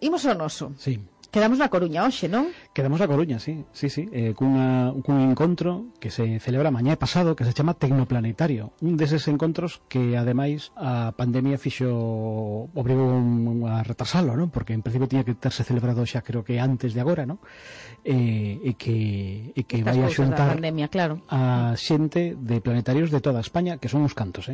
Imos ao noso. Sí. Quedamos na Coruña hoxe, non? Quedamos na Coruña, sí. Cun encontro que se celebra mañá e pasado, que se chama Tecnoplanetario. Un deses encontros que, ademais, a pandemia obrigou a retrasalo, non? Porque en principio tiña que terse celebrado xa, creo que antes de agora, non? E que vai a xuntar pandemia, claro, a xente de planetarios de toda España, que son uns cantos,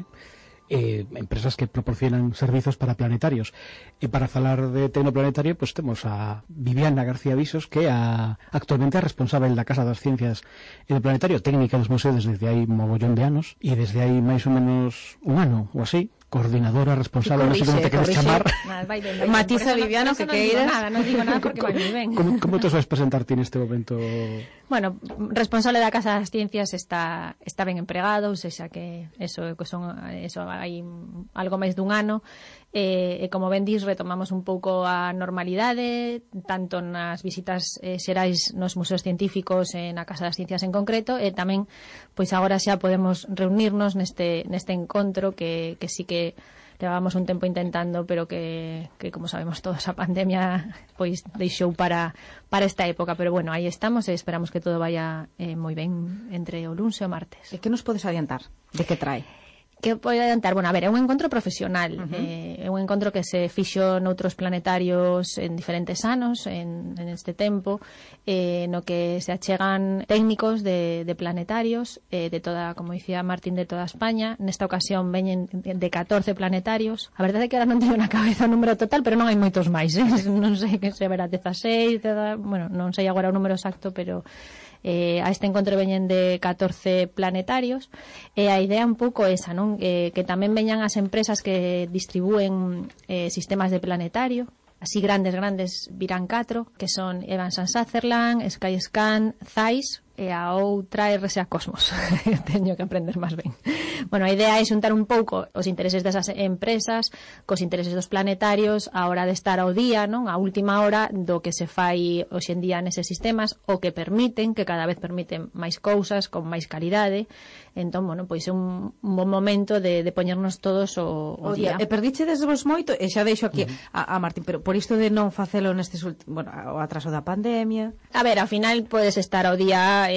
empresas que proporcionan servizos para planetarios. E para falar de Tecnoplanetario, pues temos a Viviana García Visos, que é actualmente a responsável da Casa das Ciencias e do Planetario, técnica dos museos desde hai mogollón de anos, e desde hai máis ou menos un ano ou así, coordinadora responsable, non sei como te queres chamar. Matiza Viviano, que queiras. Non digo nada porque vai moi ben. Como te sabes presentarte neste momento? Bueno, responsable da Casa das Ciencias está ben empregado, ou seja que eso hai algo máis dun ano, e como ben dis, retomamos un pouco a normalidade, tanto nas visitas xerais nos museos científicos e na Casa das Ciencias en concreto, e tamén, pois agora xa podemos reunirnos neste encontro que sí que levábamos un tempo intentando, pero que como sabemos todos, a pandemia pois deixou para esta época, pero bueno, aí estamos e esperamos que todo vaya moi ben entre o luns e o martes. E que nos podes adiantar? De que trae? Que pode adiantar? Bueno, a ver, é un encontro profesional, é un encontro que se fixo noutros planetarios en diferentes anos en este tempo, no que se achegan técnicos de planetarios de toda, como dicía Martín, de toda España. Nesta ocasión veñen de 14 planetarios. A verdade é que ahora non teño na cabeza o número total, pero non hai moitos máis, non sei que se verá 16, bueno, non sei agora o número exacto, pero a este encontro veñen de 14 planetarios, e a idea un pouco esa, non? Que tamén veñan as empresas que distribúen sistemas de planetario. Así grandes virán 4, que son Evans & Sutherland, Skyscan, Zeiss, e a outra é RSA Cosmos. Teño que aprender máis ben. Bueno, a idea é xuntar un pouco os intereses desas empresas cos intereses dos planetarios a hora de estar ao día, non? A última hora do que se fai hoxe en día neses sistemas, o que permiten, que cada vez permiten máis cousas, con máis calidade. Entón, bueno, pois é un bon momento de poñernos todos o día. E perdichedes vos moito, e xa deixo aquí a Martín, pero por isto de non facelo nestes bueno, o atraso da pandemia. A ver, ao final podes estar ao día,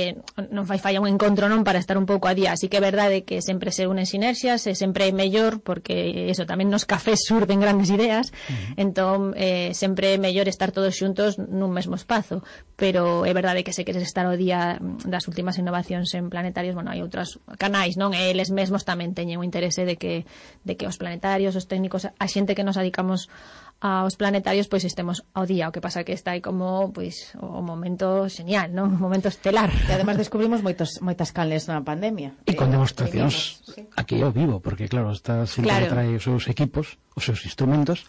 non fai falla un encontro, non, para estar un pouco a día. Así que é verdade que sempre se unen sinerxias, e sempre é mellor, porque eso, tamén nos cafés surden grandes ideas. Entón, sempre é mellor estar todos xuntos nun mesmo espazo. Pero é verdade que se queres estar ao día das últimas innovacións en planetarios, bueno, hai outros canais, non? E eles mesmos tamén teñen o interese de que os planetarios, os técnicos, a xente que nos dedicamos aos planetarios, pois estemos ao día. O que pasa que está aí como, pois, o momento genial, non? O momento estelar. E además descubrimos moitas canles na pandemia. E con demostracións aquí ao vivo, porque claro, esta xente que trae os seus equipos, os seus instrumentos,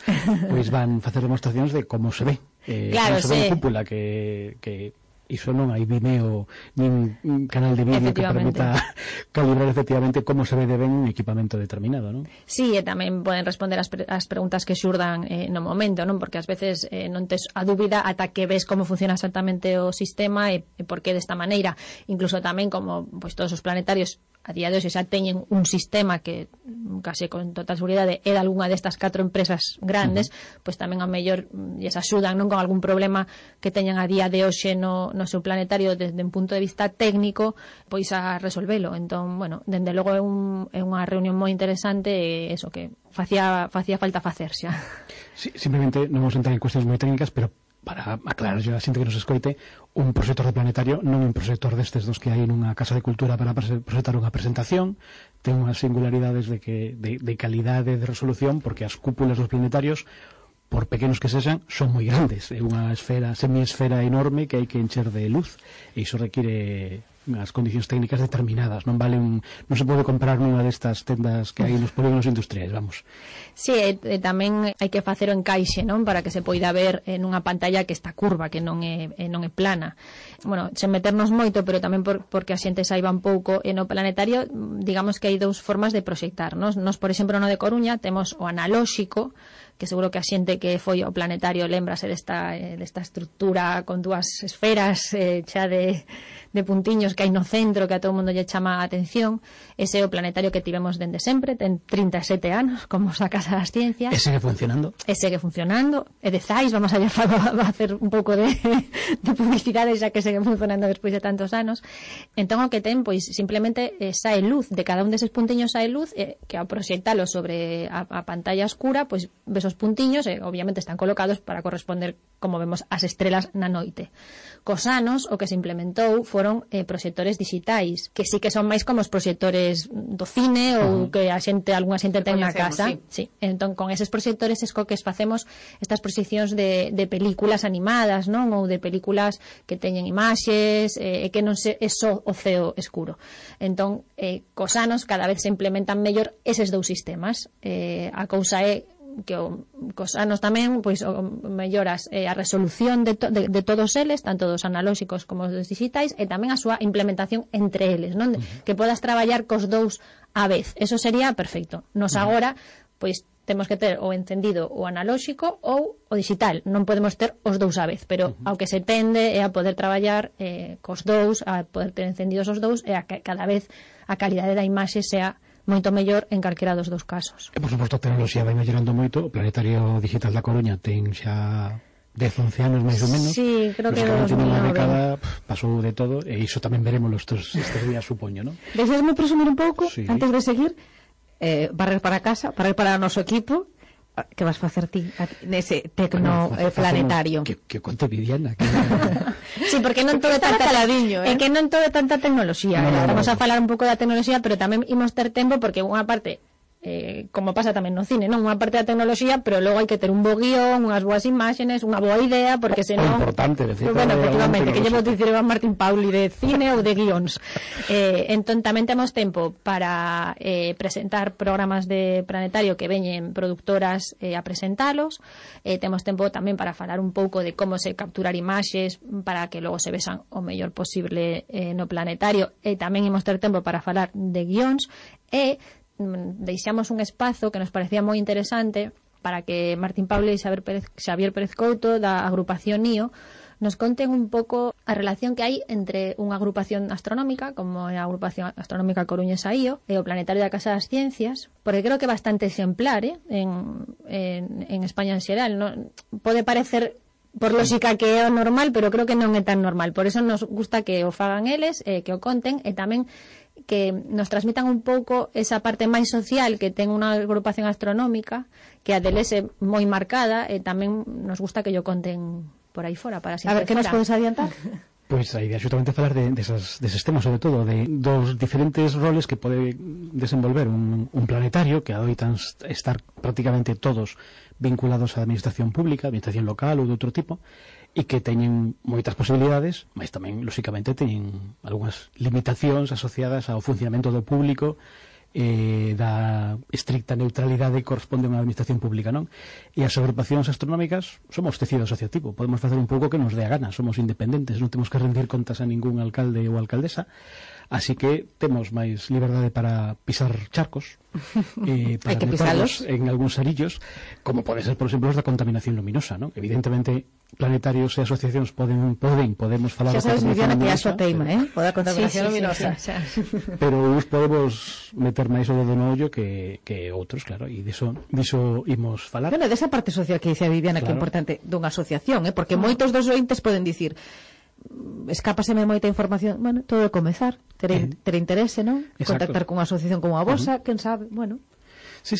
pois van facer demostracións de como se ve. Claro, se ve en cúpula, que iso non hai Vimeo nin un canal de vídeo que permita calibrar efectivamente como se ve de ben un equipamento determinado, non? Sí, e tamén poden responder as preguntas que xurdan no momento, non? Porque ás veces non tes a dúbida ata que ves como funciona exactamente o sistema e por que desta maneira. Incluso tamén como pois todos os planetarios a día de hoxe xa teñen un sistema que case con total seguridade é de algunha destas 4 empresas grandes, pois tamén ao mellor lles axudan, non, con algún problema que teñan a día de hoxe no seu planetario desde un punto de vista técnico, pois a resolvelo. Entón, bueno, dende logo é unha reunión moi interesante, e eso que facía falta facer xa. Sí, simplemente non vamos a entrar en cuestións moi técnicas, pero para aclarar a xente que nos escoite, un proxector de planetario non é un proxector destes dos que hai nunha casa de cultura para proxectar unha presentación. Ten unhas singularidades de calidade de resolución, porque as cúpulas dos planetarios, por pequenos que sexan, son moi grandes. É unha semiesfera enorme que hai que encher de luz, e iso require as condicións técnicas determinadas. Non se pode comprar nunha destas tendas que hai nos polígonos industriais, vamos. Sí, tamén hai que facer o encaixe, non, para que se poida ver nunha pantalla que está curva, que non é plana. Bueno, sen meternos moito, pero tamén porque a xente saiba un pouco, no planetario, digamos que hai 2 formas de proxectar. Nos, por exemplo, no de Coruña, temos o analóxico, que seguro que a xente que foi ao planetario lembrase desta estructura con dúas esferas xa de puntiños que hai no centro, que a todo o mundo lle chama a atención. Ese é o planetario que tivemos dende sempre, ten 37 anos, como a Casa das Ciencias. E segue funcionando. E de Zais, vamos a hacer un pouco de publicidade, xa que segue funcionando despois de tantos anos. Entón, o que ten, pois, simplemente sae luz, de cada un deses puntiños sae luz, que ao proxectalo sobre a pantalla escura, pois ves os puntiños e obviamente están colocados para corresponder, como vemos, as estrelas na noite. Cos anos, o que se implementou foron proxectores digitais, que sí que son máis como os proxectores do cine ou que algunha xente ten na casa. Sí. Entón, con eses proxectores es co que facemos estas proxeccións de películas animadas, non? Ou de películas que teñen imaxes, que non é só o ceo escuro. Entón, cos anos cada vez se implementan mellor eses dous sistemas. A cousa é que cos anos tamén pois melloras a resolución de todos eles, tanto dos analóxicos como dos digitais, e tamén a súa implementación entre eles, non? Que podas traballar cos dous a vez. Eso sería perfecto. Nos agora, pois temos que ter o encendido o analóxico ou o digital, non podemos ter os dous a vez, pero ao que se tende é a poder traballar cos dous, a poder ter encendidos os dous, e a que cada vez a calidade da imaxe sea moito mellor en calquera dos dous casos. E, por suposto, a tecnoloxía vai mellorando moito. O Planetario Digital da Coruña ten xa 10-11 anos máis ou menos. Sí, creo que de 2009. Unha década pasou de todo, e iso tamén veremos estes días, supoño, non? Deixesme presumir un pouco, sí, antes de seguir, barrer para casa, barrer para o noso equipo. Que vas facer ti nese planetario? Que conte Viviana. Sí, porque non todo é tanta caladiño, é que non todo é tanta tecnoloxía. Vamos a falar un pouco da tecnoloxía, pero tamén imos ter tempo, porque unha parte, como pasa tamén no cine, non? Unha parte da tecnoloxía, pero logo hai que ter un bo guión, unhas boas imaxes, unha boa idea, porque senón... O importante, decir, bueno, efectivamente, que llevo dicir Iván Martín Pauli de cine ou de guións. Entón tamén temos tempo para presentar programas de planetario que veñen productoras a presentalos. Temos tempo tamén para falar un pouco de como se capturar imaxes para que logo se vexan o mellor posible no planetario, e tamén imos ter tempo para falar de guións, e deixamos un espazo que nos parecía moi interesante para que Martín Pauli e Xavier Pérez Couto da agrupación NIO nos conten un pouco a relación que hai entre unha agrupación astronómica como é a agrupación astronómica coruñesa IO e o Planetario da Casa das Ciencias, porque creo que é bastante exemplar en España en xeral, non? Pode parecer por lógica que é o normal, pero creo que non é tan normal. Por eso nos gusta que o fagan eles, que o conten, e tamén que nos transmitan un pouco esa parte máis social que ten unha agrupación astronómica, que a deles é moi marcada, e tamén nos gusta que yo conten por aí fora, para sempre. A ver, que nos podes adiantar? Pois a idea é xustamente falar deses temas, sobre todo dos diferentes roles que pode desenvolver un planetario, que adoitan estar prácticamente todos vinculados á administración pública, administración local ou de outro tipo, e que teñen moitas posibilidades, mas tamén, lóxicamente, teñen algunhas limitacións asociadas ao funcionamento do público, da estricta neutralidade que corresponde a unha administración pública, non? E as agrupacións astronómicas somos tecido asociativo, podemos facer un pouco que nos dé a gana, somos independentes, non temos que rendir contas a ningún alcalde ou alcaldesa, así que temos máis liberdade para pisar charcos, para meternos en algúns arillos, como pode ser, por exemplo, os da contaminación luminosa, non? Evidentemente, planetarios e asociacións podemos falar da contaminación luminosa. Xa sabes, Viviana, que é a súa teima, o da contaminación luminosa. Pero uns podemos meter máis o dedo no ollo que outros, claro, e diso imos falar. Bueno, desa parte social que dice a Viviana, claro, que é importante dunha asociación, porque moitos dos ointes poden dicir escápaseme moita información. Bueno, todo é comezar, ter interese, non? Exacto. Contactar cunha asociación como a vosa, quen sabe, bueno. Sí,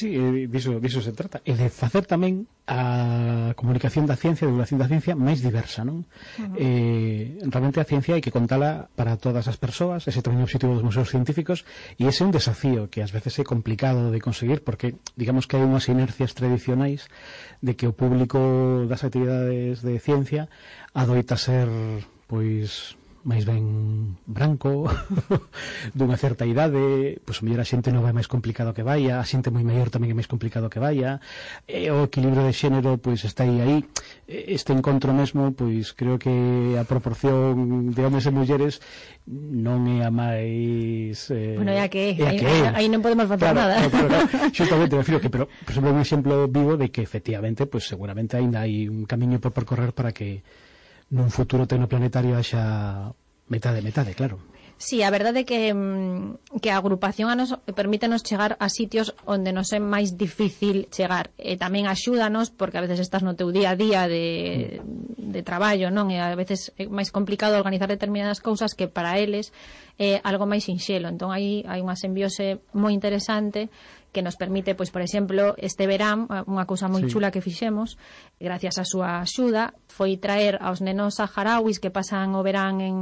diso se trata. E de facer tamén a comunicación da ciencia, a divulgación da ciencia máis diversa, non? Realmente a ciencia hai que contala para todas as persoas, ese tamén é o objetivo dos museos científicos, e ese é un desafío que ás veces é complicado de conseguir, porque digamos que hai unhas inercias tradicionais de que o público das actividades de ciencia adoita ser, pois, máis ben branco, dunha certa idade, pois o mellor a xente nova é máis complicado que vaya, a xente moi maior tamén é máis complicado que vaya, o equilibrio de xénero pois está aí. Este encontro mesmo, pois creo que a proporción de homes e mulleres non é a máis bueno, é a que aí non podemos facer nada. Claro, xustamente, me filo que, pero por exemplo, un exemplo vivo de que efectivamente, pois seguramente ainda hai un camiño por percorrer para que nun futuro tecnoplanetario haxa metade, claro. Sí, a verdade é que a agrupación a nos permítenos chegar a sitios onde nos é máis difícil chegar, e tamén axúdanos porque a veces estás no teu día a día de traballo, non? E a veces é máis complicado organizar determinadas cousas que para eles é algo máis sinxelo. Entón aí hai unha simbiose moi interesante que nos permite, pois, por exemplo, este verán, unha cousa moi chula que fixemos, gracias á súa axuda, foi traer aos nenos saharauis que pasan o verán en,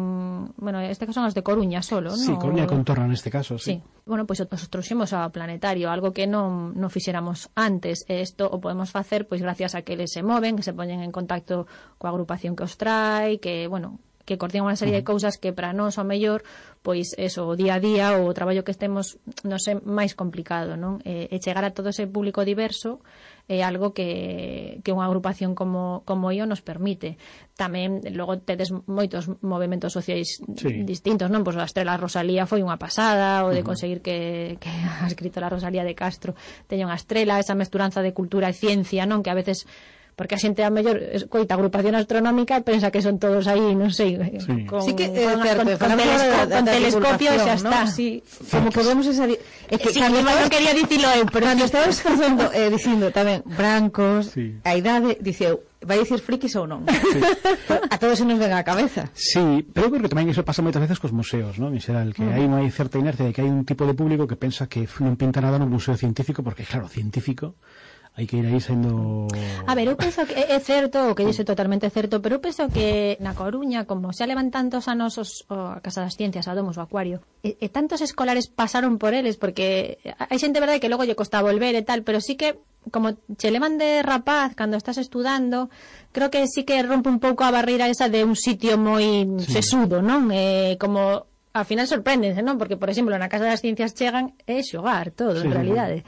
bueno, este caso son os de Coruña solo, sí, ¿no? Coruña e contorno neste caso, sí. Bueno, pois os trouxemos ao planetario, algo que non fixéramos antes, e isto o podemos facer pois gracias a que eles se moven, que se poñen en contacto coa agrupación que os trae, que, bueno, que coordinan unha serie de cousas que para nós ao mellor pois eso, o día a día ou o traballo que estemos nos é máis complicado, non? E chegar a todo ese público diverso é algo que unha agrupación como IO nos permite. Tamén logo tedes moitos movementos sociais distintos, non? Pois a Estrela Rosalía foi unha pasada, o de conseguir que a escritora Rosalía de Castro teña unha estrela, esa mesturanza de cultura e ciencia, non? Que a veces porque a xente a mellor coita agrupación astronómica e pensa que son todos aí, non sei, con telescopio xa está. Sí, como que vemos esa non quería dicilo eu, pero cando estabas dicindo tamén brancos, a idade, diceu, vai dicir frikis ou non? A todos se nos ven á cabeza. Sí, pero eu creo que tamén iso pasa moitas veces cos museos, non? En xeral, que hai unha certa inercia de que hai un tipo de público que pensa que non pinta nada no museo científico, porque claro, científico hai que ir aí sendo... A ver, eu penso que é certo, o que dixe totalmente certo, pero eu penso que na Coruña, como xa levan tantos anos a Casa das Ciencias, a Domos, o Acuario, e tantos escolares pasaron por eles, porque hai xente, verdade, que logo lle costa volver e tal, pero sí que, como che levan de rapaz cando estás estudando, creo que sí que rompe un pouco a barreira esa de un sitio moi sesudo, non? Como... Ao final sorpréndense, non? Porque, por exemplo, na Casa das Ciencias chegan e xogar todo, en realidade.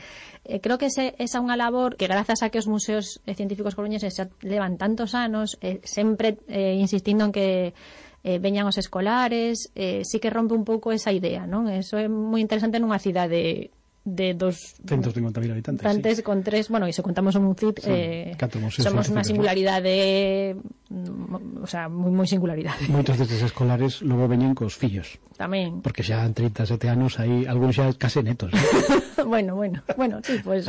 Creo que esa unha labor que grazas a que os museos científicos coruñeses xa levan tantos anos, sempre insistindo en que veñan os escolares, sí que rompe un pouco esa idea, non? Eso é moi interesante nunha cidade de 250.000 habitantes, con 3, bueno, e se contamos un CIT, somos unha singularidade, o sea, moi singularidade. Moitos destes escolares logo veñen cos fillos. Tamén. Porque xa han 37 anos, aí algúns xa case netos. bueno, sí, pues...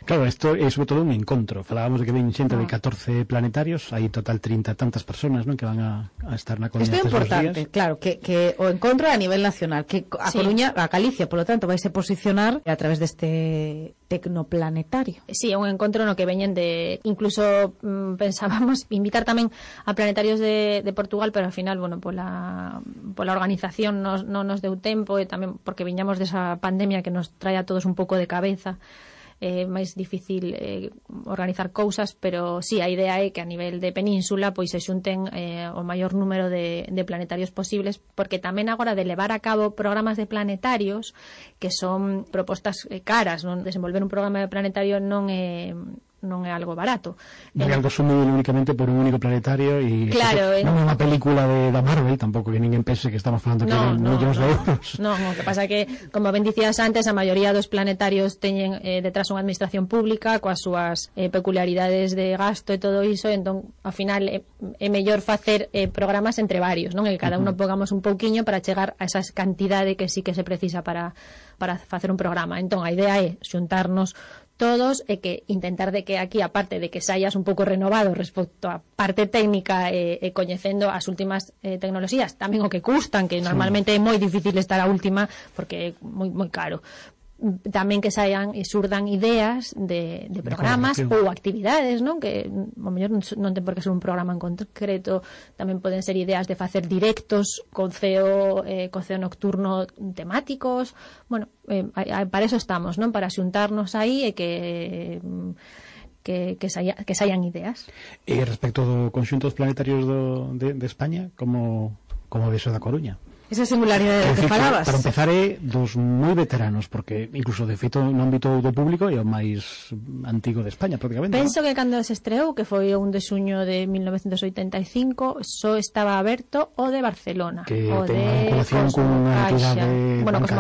Claro, isto é sobre todo un encontro. Falábamos de que ven xente de 14 planetarios, hai total 30 tantas personas, non, que van a estar na Coruña estes dos días. Isto é importante, claro, que o encontro a nivel nacional, que a Coruña, a Galicia, polo tanto, vai se posicionar a través deste tecnoplanetario. Sí, é un encontro no que veñen de... Incluso pensábamos invitar tamén a planetarios de Portugal, pero ao final, bueno, pola organización non nos deu tempo, e tamén porque viñamos desa pandemia que nos trae a todos un pouco de cabeza. Máis difícil organizar cousas, pero sí, a idea é que a nivel de península pois se xunten o maior número de planetarios posibles, porque tamén agora de levar a cabo programas de planetarios que son propostas caras, non? Desenvolver un programa de planetario non é algo barato. Non é algo sumido únicamente por un único planetario e claro, non é unha película da Marvel, tampouco que ninguén pense que estamos falando que millóns de euros. Non, o que pasa que, como ben dicías antes, a maioría dos planetarios teñen detrás unha administración pública coas súas peculiaridades de gasto e todo iso, entón, ao final é mellor facer programas entre varios, non? E cada uno pongamos un pouquiño para chegar a esa cantidade que sí que se precisa para facer un programa. Entón, a idea é xuntarnos todos e que intentar de que aquí, aparte de que saias un pouco renovado respecto a parte técnica e coñecendo as últimas tecnoloxías, tamén o que custan, que normalmente é moi difícil estar a última porque é moi caro. Tamén que saian e surdan ideas de programas ou actividades, non? Que ao mellor non ten por que ser un programa en concreto, tamén poden ser ideas de facer directos con ceo nocturno temáticos. Bueno, para eso estamos, non? Para xuntarnos aí e que que saian ideas. E respecto do conxunto dos planetarios de España, como ves o da Coruña? Esa singularidade que falabas. Para empezar, é dos moi veteranos, porque incluso de feito no ámbito do público é o máis antigo de España, prácticamente. Penso que cando se estreou, que foi o 1 de xuño de 1985, só estaba aberto o de Barcelona. Que o ten de unha vinculación con unha entidade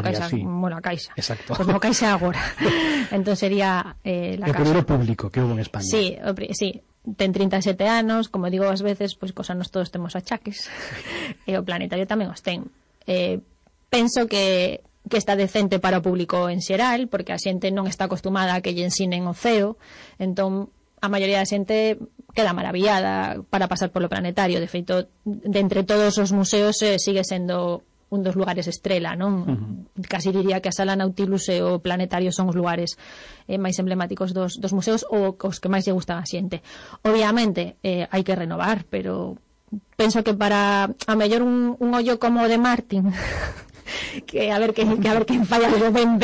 Caixa, sí. Bueno, a Caixa. Exacto. Cosmo Caixa agora. Entón sería la Caixa. O primeiro público que houve en España. Sí, ten 37 anos, como digo ás veces, pois cos anos todos temos achaques. E o planetario tamén os ten. Penso que está decente para o público en xeral, porque a xente non está acostumada a que lle ensinen o ceo, entón a maioría da xente queda maravillada para pasar polo planetario. De feito, de entre todos os museos sigue sendo un dos lugares estrela, non? Casi diría que a Sala Nautilus e o planetario son os lugares máis emblemáticos dos museos ou os que máis lle gustan a xente. Obviamente hai que renovar, pero penso que para a mellor un ollo como o de Martin que a ver quen falla algo ben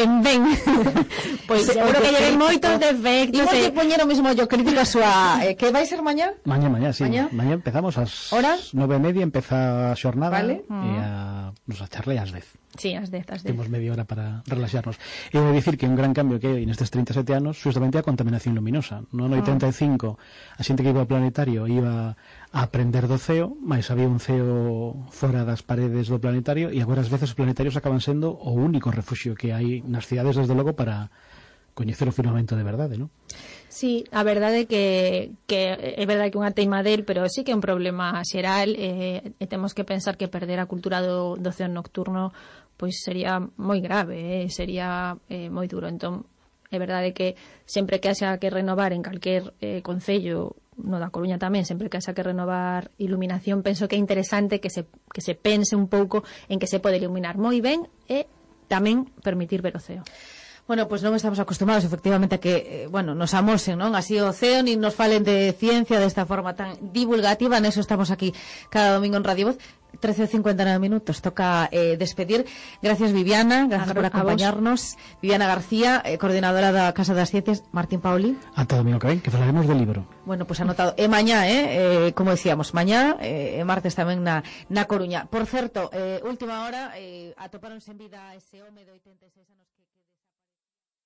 pois seguro que lle ven moitos defectos. Imos que poñer o mesmo ollo crítico a súa que vai ser mañá? Mañá, sí. Mañá empezamos ás 9:30, empeza a xornada, vale. E nos a charla ás 10. Sí, ás 10. Temos media hora para relaxarnos. E vou dicir que un gran cambio que hai nestes 37 anos justamente a contaminación luminosa. No ano 85 a xente que iba ao planetario iba a aprender do ceo, mas había un ceo fora das paredes do planetario, e agora ás veces os planetarios acaban sendo o único refuxio que hai nas cidades, desde logo, para coñecer o firmamento de verdade, non? Sí, a verdade que é verdade que unha teima del, pero sí que é un problema xeral, e temos que pensar que perder a cultura do ceo nocturno pois sería moi grave, sería moi duro. Entón, é verdade que sempre que haxa que renovar en calquer concello, no da Coruña tamén, sempre que haxa que renovar iluminación, penso que é interesante que se pense un pouco en que se pode iluminar moi ben e tamén permitir ver o ceo. Bueno, pues non estamos acostumados efectivamente a que, nos amosen, non? Así o ceo, nin nos falen de ciencia desta forma tan divulgativa. Neso estamos aquí cada domingo en Radio Voz. 13:59 minutos, toca despedir. Gracias, Viviana, gracias por acompañarnos. Viviana García, coordinadora da Casa das Ciencias. Martín Pauli. Ata domingo que ven, que falaremos del libro. Bueno, pues anotado. E mañá, como decíamos, mañá, martes tamén na Coruña. Por certo, última hora, atopáronse en vida ese home de 86 anos.